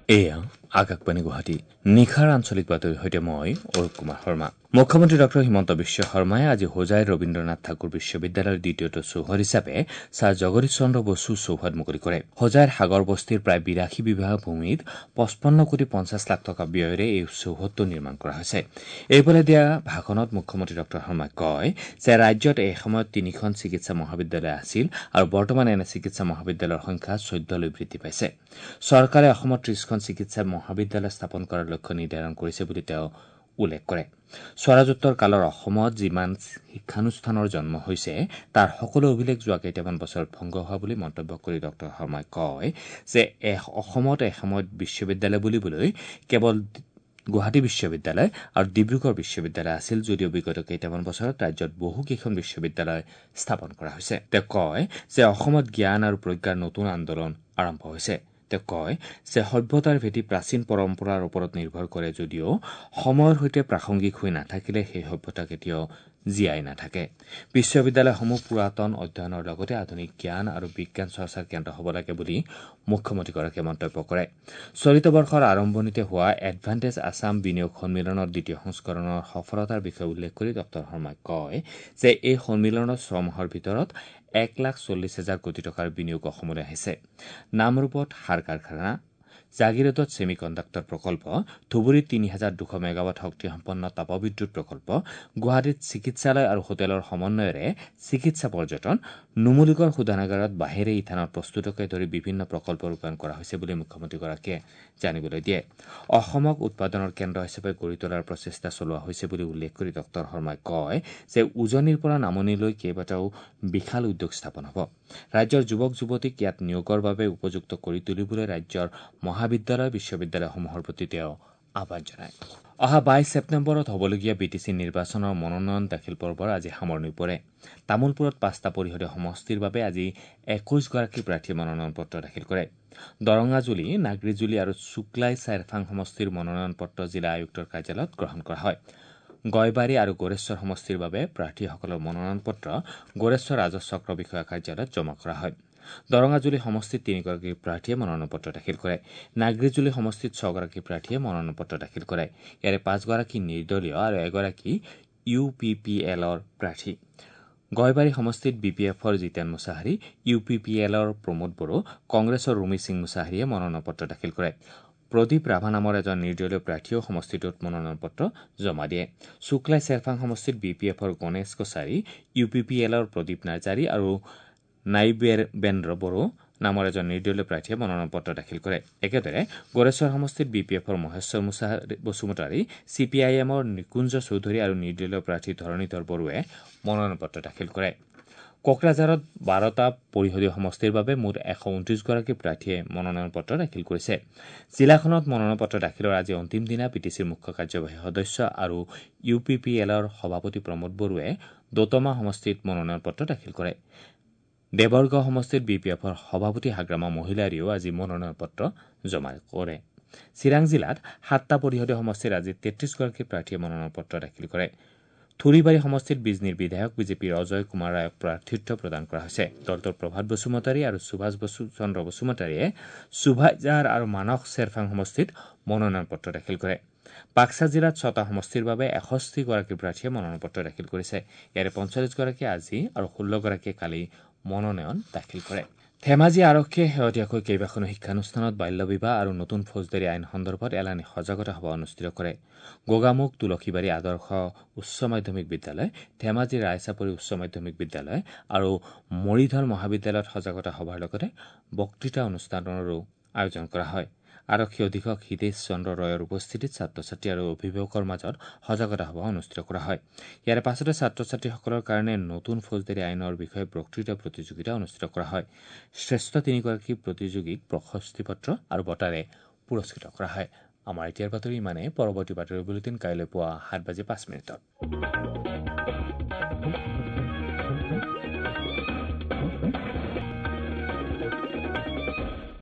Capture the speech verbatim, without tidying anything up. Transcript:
এয়া আকাশবাণী গুৱাহাটী। নিশাৰ আঞ্চলিক বাতৰিৰ সৈতে মই অৰূপ কুমাৰ শৰ্মা। মুখ্যমন্ত্ৰী ডঃ হিমন্ত বিশ্ব শৰ্মাই আজি হোজাইৰ ৰবীন্দ্ৰনাথ ঠাকুৰ বিশ্ববিদ্যালয়ৰ দ্বিতীয়টো চৌহদ হিচাপে ছাৰ জগদীশ চন্দ্ৰ বসু চৌহদ মুকলি কৰে। হোজাইৰ সাগৰ বস্তিৰ প্ৰায় বিৰাশী বিঘা ভূমিত পঁচপন্ন কোটি পঞ্চাছ লাখ টকা ব্যয়েৰে এই চৌহদটো নিৰ্মাণ কৰা হৈছে। এইফালে দিয়া ভাষণত মুখ্যমন্ত্ৰী ডঃ শৰ্মাই কয় যে ৰাজ্যত এসময়ত তিনিখন চিকিৎসা মহাবিদ্যালয় আছিল আৰু বৰ্তমান এনে চিকিৎসা মহাবিদ্যালয়ৰ সংখ্যা চৈধ্যলৈ বৃদ্ধি পাইছে। চৰকাৰে অসমত ত্ৰিশখন চিকিৎসা মহাবিদ্যালয় স্থাপন কৰাৰ লক্ষ্য নিৰ্ধাৰণ কৰিছে বুলি তেওঁ উল্লেখ কৰে। স্বৰাজোত্তৰ কালৰ অসমত যিমান শিক্ষানুষ্ঠানৰ জন্ম হৈছে তাৰ সকলো অভিলেখ যোৱা কেইটামান বছৰত ভংগ হোৱা বুলি মন্তব্য কৰি ডঃ শৰ্মাই কয় যে অসমত এসময়ত বিশ্ববিদ্যালয় বুলিবলৈ কেৱল গুৱাহাটী বিশ্ববিদ্যালয় আৰু ডিব্ৰুগড় বিশ্ববিদ্যালয় আছিল যদিও বিগত কেইটামান বছৰত ৰাজ্যত বহুকেইখন বিশ্ববিদ্যালয় স্থাপন কৰা হৈছে। তেওঁ কয় যে অসমত জ্ঞান আৰু প্ৰজ্ঞাৰ নতুন আন্দোলন আৰম্ভ হৈছে। তেওঁ কয় যে সভ্যতাৰ ভেটি প্ৰাচীন পৰম্পৰাৰ ওপৰত নিৰ্ভৰ কৰে যদিও সময়ৰ সৈতে প্ৰাসংগিক হৈ নাথাকিলে সেই সভ্যতা কেতিয়াও জীয়াই নাথাকে। বিশ্ববিদ্যালয়সমূহ পুৰাতন অধ্যয়নৰ লগতে আধুনিক জ্ঞান আৰু বিজ্ঞান চৰ্চাৰ কেন্দ্ৰ হ'ব লাগে বুলি মুখ্যমন্ত্ৰীগৰাকীয়ে মন্তব্য কৰে। চলিত বৰ্ষৰ আৰম্ভণিতে হোৱা এডভান্টেজ আছাম বিনিয়োগ সন্মিলনৰ দ্বিতীয় সংস্কৰণৰ সফলতাৰ বিষয়ে উল্লেখ কৰি ডঃ শৰ্মাই কয় যে এই সন্মিলনত ছমাহৰ ভিতৰত এক লাখ চল্লিছ হাজাৰ কোটি টকাৰ বিনিয়োগ অসমলৈ আহিছে। নামৰূপত সাৰ কাৰখানা, জাগিৰোডত ছেমি কণ্ডাক্টৰ প্ৰকল্প, ধুবুৰীত তিনি হাজাৰ দুশ মেগাৱাট শক্তিসম্পন্ন তাপবিদ্যুৎ প্ৰকল্প, গুৱাহাটীত চিকিৎসালয় আৰু হোটেলৰ সমন্বয়েৰে চিকিৎসা পৰ্যটন, নুমলীগড় শোধনাগাৰত বাঁহেৰে ইথানল প্ৰস্তুতকে ধৰি বিভিন্ন প্ৰকল্প ৰূপায়ণ কৰা হৈছে বুলি মুখ্যমন্ত্ৰীগৰাকীয়ে জানিবলৈ দিয়ে। অসমক উৎপাদনৰ কেন্দ্ৰ হিচাপে গঢ়ি তোলাৰ প্ৰচেষ্টা চলোৱা হৈছে বুলি উল্লেখ কৰি ডঃ শৰ্মাই কয় যে উজনিৰ পৰা নামনিলৈ কেইবাটাও বিশাল উদ্যোগ স্থাপন হ'ব। ৰাজ্যৰ যুৱক যুৱতীক ইয়াত নিয়োগৰ বাবে উপযুক্ত কৰি তুলিবলৈ ৰাজ্যৰ মহাবিদ্যালয় বিশ্ববিদ্যালয়সমূহৰ প্ৰতি তেওঁ আহ্বান জনায়। অহা বাইশ ছেপ্টেম্বৰত হ'বলগীয়া বি টি চি নিৰ্বাচনৰ মনোনয়ন দাখিল পৰ্বৰ আজি সামৰণি পৰে। তামুলপুৰত পাঁচটা পৰিষদীয় সমষ্টিৰ বাবে আজি একৈশগৰাকী প্ৰাৰ্থীয়ে মনোনয়ন পত্ৰ দাখিল কৰে। দৰঙাজুলি, নাগৰিজুলি আৰু শুক্লাই চাৰফাং সমষ্টিৰ মনোনয়ন পত্ৰ জিলা আয়ুক্তৰ কাৰ্যালয়ত গ্ৰহণ কৰা হয়। গয়বাৰী আৰু গোৰেশ্বৰ সমষ্টিৰ বাবে প্ৰাৰ্থীসকলৰ মনোনয়ন পত্ৰ গোৰেশ্বৰ ৰাজহ চক্ৰ বিষয়া কাৰ্যালয়ত জমা কৰা হয়। দৰঙাজুলি সমষ্টিত তিনিগৰাকী প্ৰাৰ্থীয়ে মনোনয়ন পত্ৰ দাখিল কৰে। নাগৰিজুলি সমষ্টিত ছগৰাকী প্ৰাৰ্থীয়ে মনোনয়ন পত্ৰ দাখিল কৰে। ইয়াৰে পাঁচগৰাকী নিৰ্দলীয় আৰু এগৰাকী ইউ পি পি এলৰ প্ৰাৰ্থী। গয়বাৰী সমষ্টিত বি পি এফৰ Jiten Mushahary, U P P এলৰ প্ৰমোদ বড়ো, কংগ্ৰেছৰ ৰুমি সিং মুছাহাৰীয়ে মনোনয়ন পত্ৰ দাখিল কৰে। প্ৰদীপ ৰাভা নামৰ এজন নিৰ্দলীয় প্ৰাৰ্থীয়েও সমষ্টিটোত মনোনয়ন পত্ৰ জমা দিয়ে। শুক্লাই চেৰফাং সমষ্টিত বি পি এফৰ Ganesh Kachari, U P P এলৰ প্ৰদীপ নাৰ্জাৰী আৰু নাইবেন্দ্ৰ বড়ো নামৰ এজন নিৰ্দলীয় প্ৰাৰ্থীয়ে মনোনয়ন পত্ৰ দাখিল কৰে। একেদৰে গোৰেশ্বৰ সমষ্টিত বি পি এফৰ Maheswar Basumatary, C P I এমৰ নিকুঞ্জ চৌধুৰী আৰু নিৰ্দলীয় প্ৰাৰ্থী ধৰণীধৰ বড়োৱে মনোনয়ন পত্ৰ দাখিল কৰে। কোকৰাঝাৰত বাৰটা পৰিষদীয় সমষ্টিৰ বাবে মুঠ এশ ঊনত্ৰিশগৰাকী প্ৰাৰ্থীয়ে মনোনয়ন পত্ৰ দাখিল কৰিছে। জিলাখনত মনোনয়ন পত্ৰ দাখিলৰ আজি অন্তিম দিনা বি টি চিৰ মুখ্য কাৰ্যবাহী সদস্য আৰু ইউ পি পি এলৰ সভাপতি প্ৰমোদ বড়োৱে দোতমা সমষ্টিত মনোনয়ন পত্ৰ দাখিল কৰে। দেৱৰগাঁও সমষ্টিত বি পি এফৰ সভাপতি হাগ্ৰামা মহিলাৰীয়েও আজি মনোনয়ন পত্ৰ জমা কৰে। চিৰাং জিলাত সাতটা পৰিষদীয় সমষ্টিত আজি তেত্ৰিশগৰাকী প্ৰাৰ্থীয়ে মনোনয়ন পত্ৰ দাখিল কৰে। থুৰিবাৰী সমষ্টিত বিজনীৰ বিধায়ক বিজেপিৰ অজয় কুমাৰ ৰায়ক প্ৰাৰ্থিত্ব প্ৰদান কৰা হৈছে। দলটোৰ প্ৰভাত বসুমতাৰী আৰু সুভাষ বসু চন্দ্ৰ বসুমতাৰীয়ে সুভাইজাৰ আৰু মানস চেৰফাং সমষ্টিত মনোনয়ন পত্ৰ দাখিল কৰে। বাক্সা জিলাত ছটা সমষ্টিৰ বাবে এষষ্ঠিগৰাকী প্ৰাৰ্থীয়ে মনোনয়ন পত্ৰ দাখিল কৰিছে। ইয়াৰে পঞ্চল্লিছগৰাকীয়ে আজি আৰু ষোল্লগৰাকীয়ে কালি মনোনয়ন দাখিল কৰে। ধেমাজি আৰক্ষীয়ে শেহতীয়াকৈ কেইবাখনো শিক্ষানুষ্ঠানত বাল্য বিবাহ আৰু নতুন ফৌজদাৰী আইন সন্দৰ্ভত এলানি সজাগতা সভা অনুষ্ঠিত কৰে। গোগামুখ তুলসীবাৰী আদৰ্শ উচ্চ মাধ্যমিক বিদ্যালয়, ধেমাজি ৰায়চাপৰি উচ্চ মাধ্যমিক বিদ্যালয় আৰু মৰিধল মহাবিদ্যালয়ত সজাগতা সভাৰ লগতে বক্তৃতা অনুষ্ঠানৰো আয়োজন কৰা হয়। আৰক্ষী অধীক্ষক হিতেশ চন্দ্ৰ ৰয়ৰ উপস্থিতিত ছাত্ৰ ছাত্ৰী আৰু অভিভাৱকৰ মাজত সজাগতা সভা অনুষ্ঠিত কৰা হয়। ইয়াৰ পাছতে ছাত্ৰ ছাত্ৰীসকলৰ কাৰণে নতুন ফৌজদাৰী আইনৰ বিষয়ে বক্তৃতা প্ৰতিযোগিতা অনুষ্ঠিত কৰা হয়। শ্ৰেষ্ঠ তিনিগৰাকী প্ৰতিযোগীক প্ৰশস্তি পত্ৰ আৰু বঁটাৰে পুৰস্কৃত কৰা হয়। আমাৰ এতিয়াৰ বাতৰি ইমানেই। পৰৱৰ্তী বাতৰি বুলেটিন কাইলৈ পুৱা সাত বাজি পাঁচ মিনিটত।